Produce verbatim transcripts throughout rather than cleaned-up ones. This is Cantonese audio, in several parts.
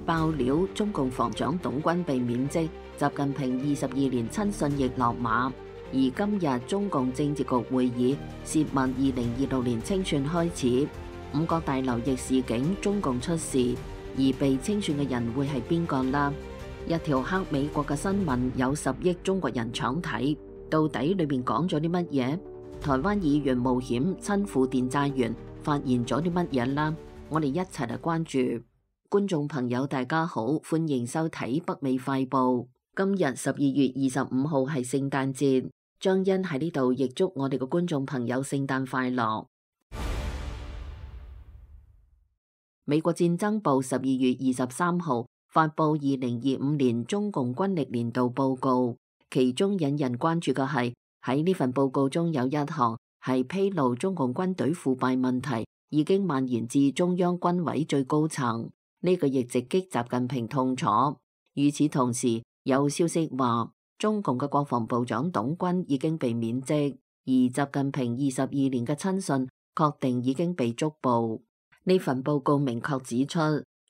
爆料中共防長董軍被免職，習近平二十二年親信亦落馬。而今日中共政治局會議洩密二零二六年清算開始，五角大樓亦示警中共出事，而被清算嘅人會係邊個啦？一條黑美國嘅新聞有十億中國人搶睇，到底裏面講咗啲乜嘢？台灣議員冒險親赴電債園，發現咗啲乜嘢啦？我哋一齊嚟關注。觀眾朋友大家好，歡迎收睇北美快報。今日十二月二十五號係聖誕節，張欣喺呢度亦祝我哋嘅觀眾朋友聖誕快樂。美國戰爭部十二月二十三號發布二零二五年中共軍力年度報告，其中引人關注嘅係喺呢份報告中有一項係披露中共軍隊腐敗問題已經蔓延至中央軍委最高層，呢、這個亦直擊習近平痛楚。與此同時，有消息話中共嘅國防部長董軍已經被免職，而習近平二十二年嘅親信確定已經被捉捕。呢份報告明確指出，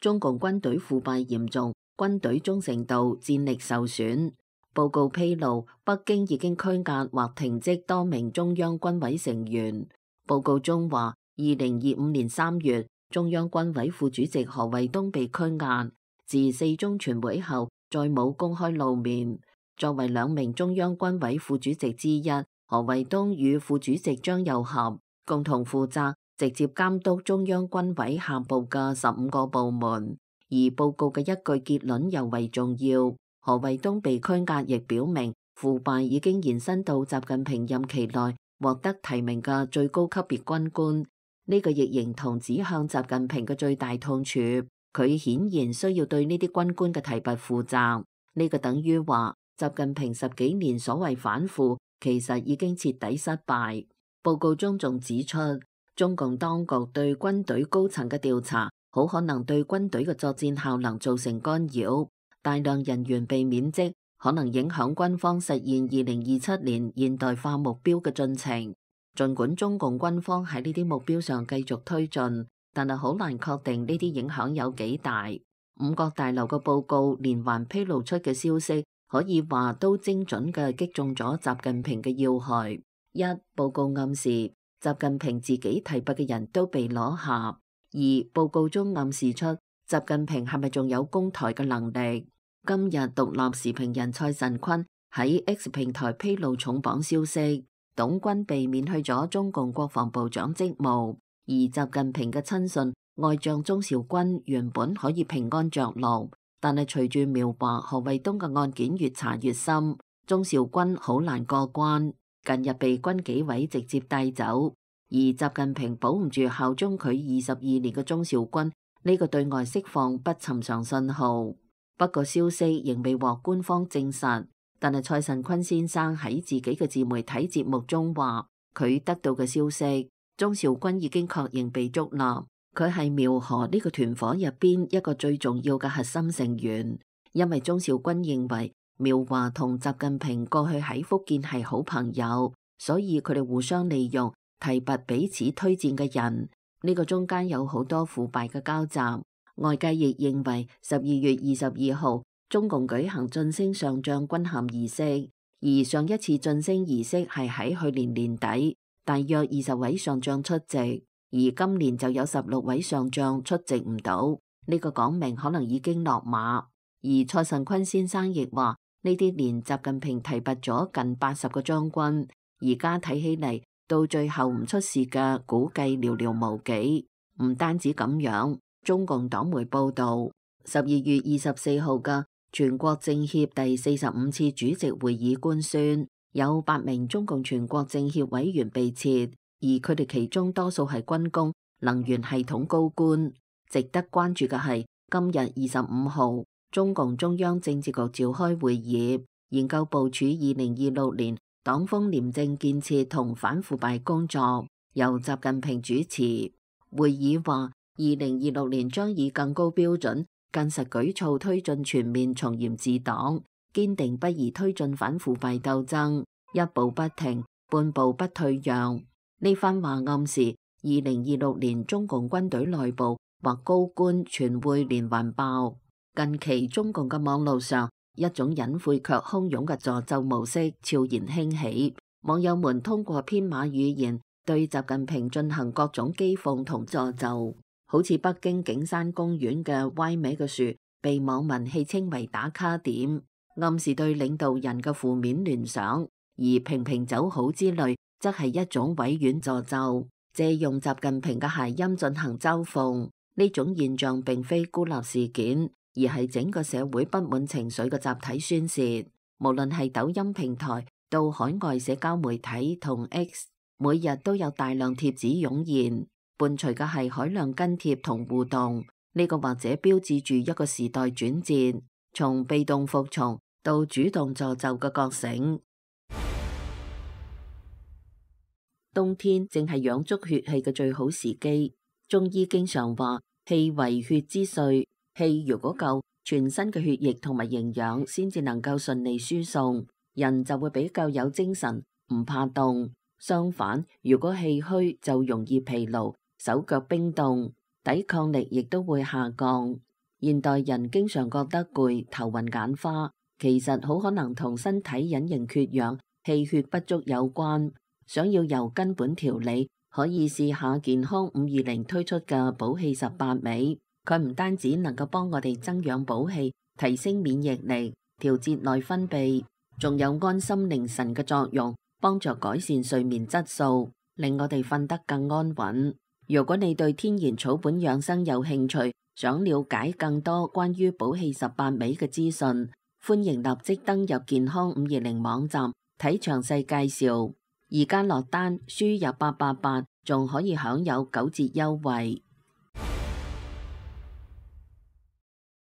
中共軍隊腐敗嚴重，軍隊忠誠度、戰力受損。報告披露，北京已經拘押或停職多名中央軍委成員。報告中話，二零二五年三月，中央軍委副主席何衛東被拘押，自四中全會後再冇公開露面。作為兩名中央軍委副主席之一，何衛東與副主席張又俠共同負責直接監督中央軍委下部嘅十五個部門。而報告嘅一句結論尤為重要，何衛東被拘押亦表明腐敗已經延伸到習近平任期內獲得提名嘅最高級別軍官。呢、這個亦形同指向習近平嘅最大痛處，佢顯然需要對呢啲軍官嘅提拔負責。呢、這個等於話習近平十幾年所謂反腐其實已經徹底失敗。報告中仲指出，中共當局對軍隊高層嘅調查好可能對軍隊嘅作戰效能造成干擾，大量人員被免職可能影響軍方實現二零二七年現代化目標嘅進程。儘管中共軍方喺呢啲目標上繼續推進，但係好難確定呢啲影響有幾大。五角大樓嘅報告連環披露出嘅消息，可以話都精準嘅擊中咗習近平嘅要害。一、報告暗示習近平自己提拔嘅人都被攞下；二、報告中暗示出習近平係咪仲有攻台嘅能力。今日獨立時評人蔡慎坤喺 X 平台披露重磅消息，董軍被免去咗中共國防部長職務，而習近平嘅親信外將鍾兆軍原本可以平安着陸，但係隨住描畫何衛東嘅案件越查越深，鍾兆軍好難過關。近日被軍紀委直接帶走，而習近平保唔住效忠佢二十二年嘅鍾兆軍，呢個對外釋放不尋常信號。不過消息仍未獲官方證實。但係蔡慎坤先生喺自己嘅自媒體節目中話，佢得到嘅消息，鍾兆軍已經確認被捉拿，佢係苗河呢個團伙入邊一個最重要嘅核心成員。因為鍾兆軍認為苗華同習近平過去喺福建係好朋友，所以佢哋互相利用，提拔彼此推薦嘅人。呢、這個中間有好多腐敗嘅交集。外界亦認為十二月二十二號。中共舉行晉升上將軍銜儀式，而上一次晉升儀式係喺去年年底，大約二十位上將出席，而今年就有十六位上將出席唔到，呢、這個講明可能已經落馬。而蔡慎坤先生亦話，呢啲年習近平提拔咗近八十個將軍，而家睇起嚟到最後唔出事嘅估計寥寥無幾。唔單止咁樣，中共黨媒報道，十二月二十四號嘅全國政協第四十五次主席會議官宣，有八名中共全國政協委員被撤，而佢哋其中多數係軍工、能源系統高官。值得關注嘅係，今日二十五號，中共中央政治局召開會議，研究部署二零二六年黨風廉政建設同反腐敗工作，由習近平主持。會議話，二零二六年將以更高標準、更實舉措推進全面從嚴治黨，堅定不移推進反腐敗鬥爭，一步不停，半步不退讓。呢番話暗示，二零二六年中共軍隊內部或高官全會連環爆。近期中共嘅網路上，一種隱晦卻洶湧嘅詛咒模式悄然興起，網友們通過編碼語言對習近平進行各種譏諷同詛咒，好似北京景山公園嘅歪歪嘅樹被網民戲稱為打卡點，暗示對領導人嘅負面聯想；而平平走好之類，則係一種委婉詛咒，借用習近平嘅諧音進行嘲諷。呢種現象並非孤立事件，而係整個社會不滿情緒嘅集體宣洩。無論係抖音平台到海外社交媒體同 X， 每日都有大量貼紙湧現，伴隨嘅係海量跟帖同互動。呢個或者標誌住一個時代轉折，從被動服從到主動詛咒嘅覺醒。冬天正係養足血氣嘅最好時機。中醫經常話氣為血之髓，氣如果夠，全身嘅血液同埋營養先至能夠順利輸送，人就會比較有精神，唔怕凍。相反，如果氣虛就容易疲勞，手腳冰凍，抵抗力亦都會下降。現代人經常覺得攰、頭暈眼花，其實好可能同身體隱形缺氧、氣血不足有關。想要由根本調理，可以試下健康五二零推出嘅補氣十八味。佢唔單止能夠幫我哋增養補氣、提升免疫力、調節內分泌，仲有安心寧神嘅作用，幫助改善睡眠質素，令我哋瞓得更安穩。如果你對天然草本養生有興趣，想了解更多關於補氣十八味嘅資訊，歡迎立即登入健康五二零網站睇詳細介紹。而家落單輸入八八八，仲可以享有九折優惠。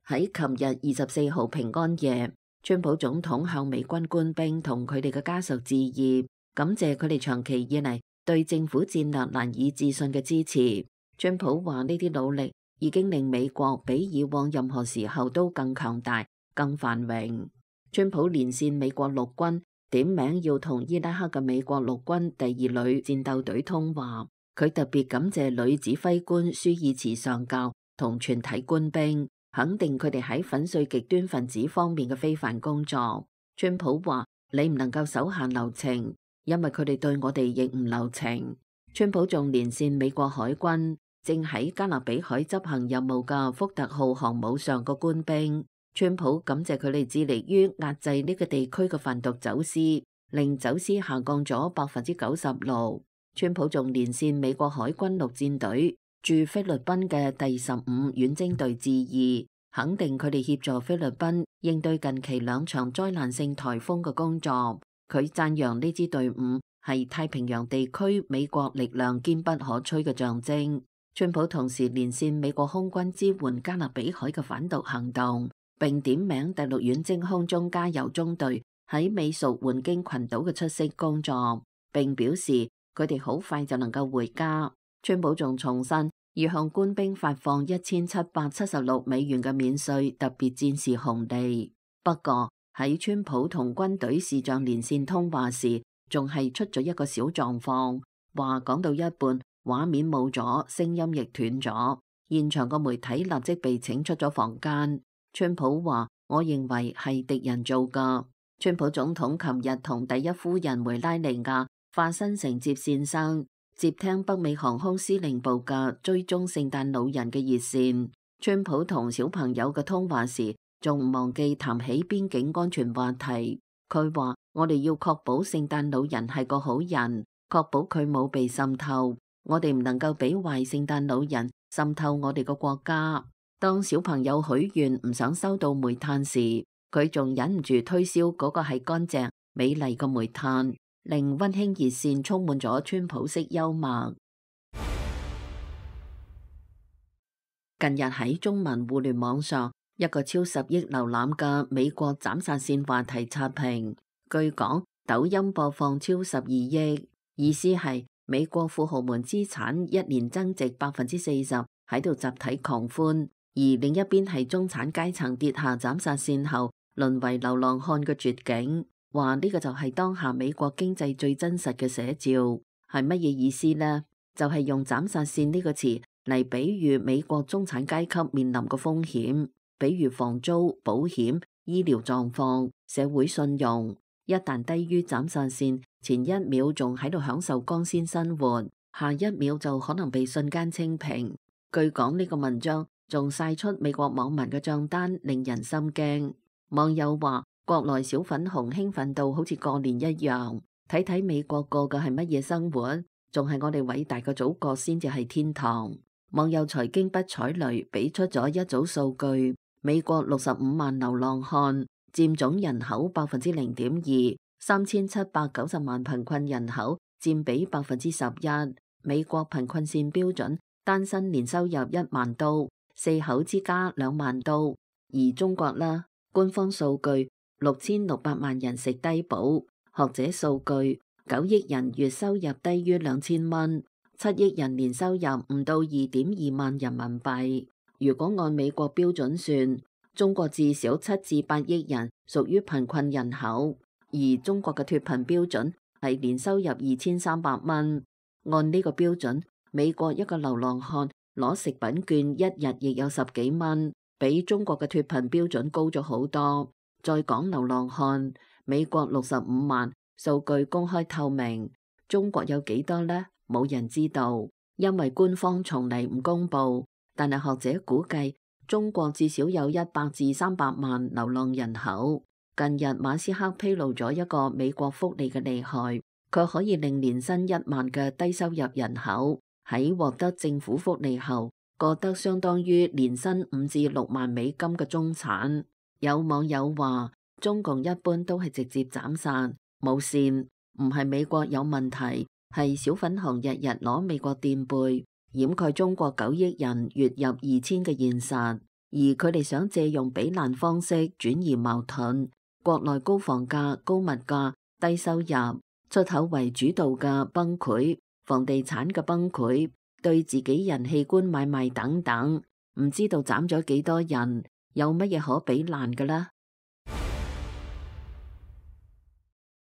喺琴日二十四號平安夜，川普總統向美軍官兵同佢哋嘅家屬致意，感謝佢哋長期以嚟對政府戰略難以置信嘅支持。川普話呢啲努力已經令美國比以往任何時候都更強大、更繁榮。川普連線美國陸軍，點名要同伊拉克嘅美國陸軍第二旅戰鬥隊通話。佢特別感謝女指揮官舒爾茨上校同全體官兵，肯定佢哋喺粉碎極端分子方面嘅非凡工作。川普話：你唔能夠手下留情，因為佢哋對我哋亦唔留情。川普仲連線美國海軍正喺加勒比海執行任務嘅福特號航母上嘅官兵。川普感謝佢哋致力於壓制呢個地區嘅販毒走私，令走私下降咗百分之九十六。川普仲連線美國海軍陸戰隊駐菲律賓嘅第十五遠征隊致意，肯定佢哋協助菲律賓應對近期兩場災難性颱風嘅工作。佢讚揚呢支隊伍係太平洋地區美國力量堅不可摧嘅象徵。川普同時連線美國空軍支援加勒比海嘅反毒行動，並點名第六遠征空中加油中隊喺美屬換京群島嘅出色工作，並表示佢哋好快就能夠回家。川普仲重申要向官兵發放一千七百七十六美元嘅免稅特別戰士紅利。不過喺川普同軍隊士將連線通話時，仲係出咗一個小狀況，話講到一半畫面冇咗，聲音亦斷咗，現場個媒體立即被請出咗房間。川普話：我認為係敵人做㗎。川普總統琴日同第一夫人梅拉尼亞化身成接線生，接聽北美航空司令部嘅追蹤聖誕老人嘅熱線。川普同小朋友嘅通話時，仲唔忘記談起邊境安全話題。佢話：我哋要確保聖誕老人係個好人，確保佢冇被滲透。我哋唔能夠俾壞聖誕老人滲透我哋個國家。當小朋友許願唔想收到煤炭時，佢仲忍唔住推銷嗰個係乾淨美麗嘅煤炭，令溫馨熱線充滿咗川普式幽默。近日喺中文互聯網上，一個超十億瀏覽嘅美國斬殺線話題刷屏。據講，抖音播放超十二億，意思係美國富豪們資產一年增值百分之四十，喺度集體狂歡。而另一邊係中產階層跌下斬殺線後，淪為流浪漢嘅絕境。話呢個就係當下美國經濟最真實嘅寫照。係乜嘢意思呢？就係用斬殺線呢個詞嚟比喻美國中產階級面臨嘅風險。比如房租、保險、醫療狀況、社會信用，一旦低於斬殺線，前一秒仲喺度享受光鮮生活，下一秒就可能被瞬間清平。據講呢個文章仲曬出美國網民嘅賬單，令人心驚。網友話國內小粉紅興奮到好似過年一樣，睇睇美國過嘅係乜嘢生活，仲係我哋偉大嘅祖國先至係天堂。網友財經不踩雷俾出咗一組數據，美國六十五萬流浪漢佔總人口百分之零點二，三千七百九十萬貧困人口佔比百分之十一。美國貧困線標準，單身年收入一萬刀，四口之家兩萬刀。而中國啦，官方數據六千六百萬人食低保，學者數據九億人月收入低於兩千蚊。七億人年收入唔到二點二萬人民幣。如果按美國標準算，中國至少七至八億人屬於貧困人口，而中國嘅脫貧標準係年收入二千三百蚊。按呢個標準，美國一個流浪漢攞食品券一日亦有十幾蚊，比中國嘅脫貧標準高咗好多。再講流浪漢，美國六十五萬，數據公開透明，中國有幾多呢？冇人知道，因為官方從嚟唔公布。但係學者估計，中國至少有一百至三百萬流浪人口。近日馬斯克披露咗一個美國福利嘅厲害，佢可以令年薪一萬嘅低收入人口喺獲得政府福利後，過得相當於年薪五至六萬美金嘅中產。有網友話，中共一般都係直接斬殺冇線，唔係美國有問題。係小粉紅日日攞美國墊背，掩蓋中國九億人月入二千嘅現實，而佢哋想借用比爛方式轉移矛盾。國內高房價、高物價、低收入、出口為主導嘅崩潰、房地產嘅崩潰、對自己人器官買賣等等，唔知道斬咗幾多人，有乜嘢可比爛嘅啦？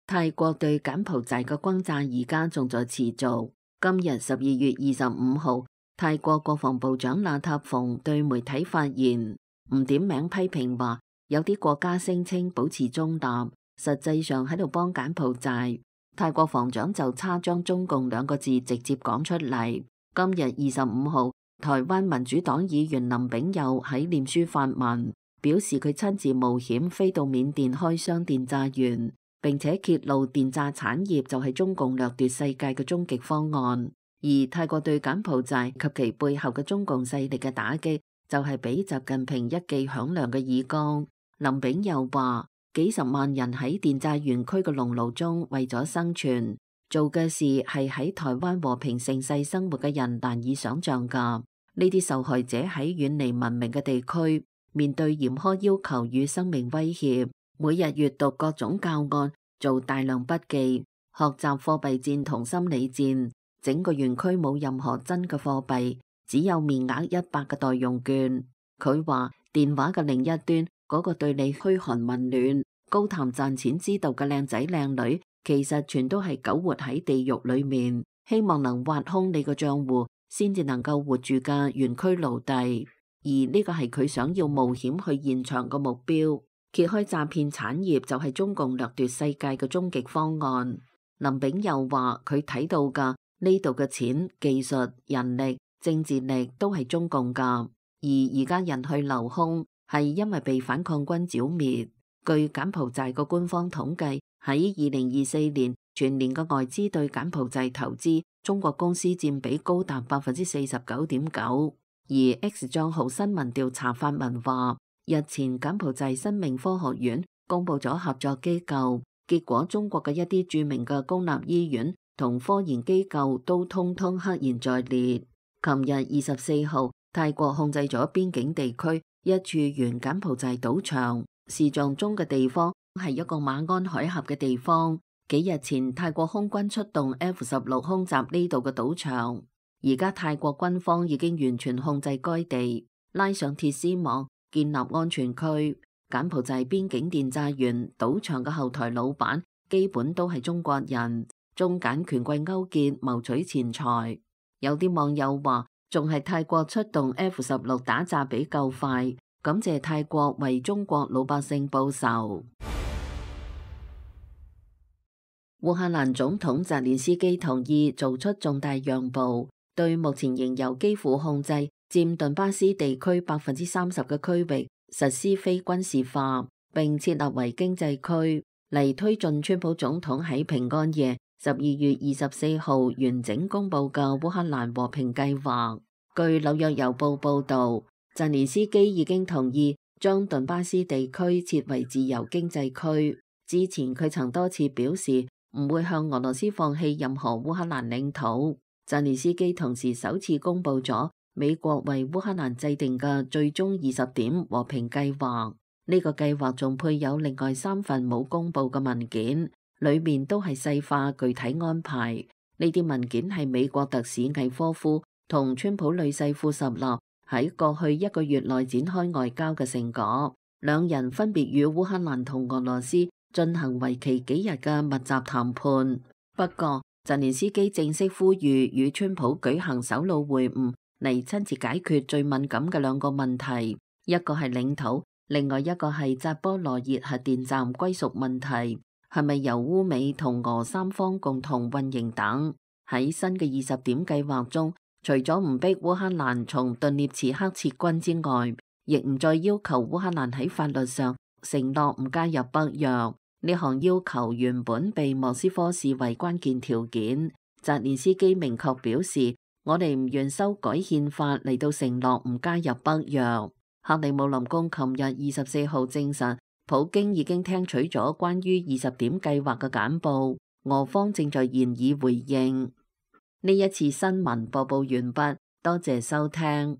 泰國對柬埔寨嘅轟炸而家仲在持續。今日十二月二十五號，泰國國防部長那塔鳳對媒體發言，唔點名批評話，有啲國家聲稱保持中立，實際上喺度幫柬埔寨。泰國防長就差將中共兩個字直接講出嚟。今日二十五號，台灣民主黨議員林炳佑喺臉書發文，表示佢親自冒險飛到緬甸開箱電炸園，並且揭露電炸產業就係中共掠奪世界嘅終極方案。而泰國對柬埔寨及其背後嘅中共勢力嘅打擊，就係俾習近平一記響亮嘅耳光。林炳佑話，幾十萬人喺電炸園區嘅熔爐中為咗生存，做嘅事係喺台灣和平盛世生活嘅人難以想象噶。呢啲受害者喺遠離文明嘅地區，面對嚴苛要求與生命威脅，每日閱讀各種教案，做大量筆記，學習貨幣戰同心理戰。整個園區冇任何真嘅貨幣，只有面額一百嘅代用券。佢話電話嘅另一端嗰、那個對你噓寒問暖、高談賺錢之道嘅靚仔靚女，其實全都係苟活喺地獄裏面，希望能挖空你個賬戶，先至能夠活住嘅園區奴隸。而呢個係佢想要冒險去現場嘅目標。揭開詐騙產業就係中共掠奪世界嘅終極方案。林炳佑話佢睇到噶呢度嘅錢、技術、人力、政治力都係中共噶，而而家人去樓空係因為被反抗軍剿滅。據柬埔寨個官方統計，喺二零二四年全年嘅外資對柬埔寨投資，中國公司佔比高達百分之四十九點九。而 X 賬號新聞調查發文話，日前柬埔寨生命科學院公布咗合作機構，結果中國嘅一啲著名嘅公立醫院同科研機構都通通赫然在列。琴日二十四號，泰國控制咗邊境地區一處原柬埔寨賭場，視像中嘅地方係一個馬鞍海峽嘅地方。幾日前泰國空軍出動 F 十六空襲呢度嘅賭場，而家泰國軍方已經完全控制該地，拉上鐵絲網，建立安全區。柬埔寨邊境電炸園賭場嘅後台老闆基本都係中國人，中柬權貴勾結謀取錢財。有啲網友話，仲係泰國出動 F 十六打炸比較快，感謝泰國為中國老百姓報仇。烏克蘭總統澤連斯基同意做出重大讓步，對目前仍由基輔控制、佔頓巴斯地區百分之三十嘅區域實施非軍事化，並設立為經濟區，嚟推進川普總統喺平安夜十二月二十四號完整公布嘅烏克蘭和平計劃。據紐約郵報報道，澤連斯基已經同意將頓巴斯地區設為自由經濟區。之前佢曾多次表示唔會向俄羅斯放棄任何烏克蘭領土。澤連斯基同時首次公布咗美國為烏克蘭制定嘅最終二十點和平計劃。呢個計劃仲配有另外三份冇公布嘅文件，裏面都係細化具體安排。呢啲文件係美國特使魏科夫同川普女婿庫什納喺過去一個月內展開外交嘅成果。兩人分別與烏克蘭同俄羅斯進行為期幾日嘅密集談判。不過澤連斯基正式呼籲與川普舉行首腦會晤，嚟親自解決最敏感嘅兩個問題，一個係領土，另外一個係扎波羅熱核電站歸屬問題，係咪由烏美同俄三方共同運營等。喺新嘅二十點計劃中，除咗唔逼烏克蘭從頓涅茨克撤軍之外，亦唔再要求烏克蘭喺法律上承諾唔加入北約。呢項要求原本被莫斯科視為關鍵條件。澤連斯基明確表示，我哋唔願修改憲法嚟到承諾唔加入北約。克里姆林宮琴日二十四號證實，普京已經聽取咗關於二十點計劃嘅簡報，俄方正在研議回應。呢一次新聞播報完畢，多謝收聽。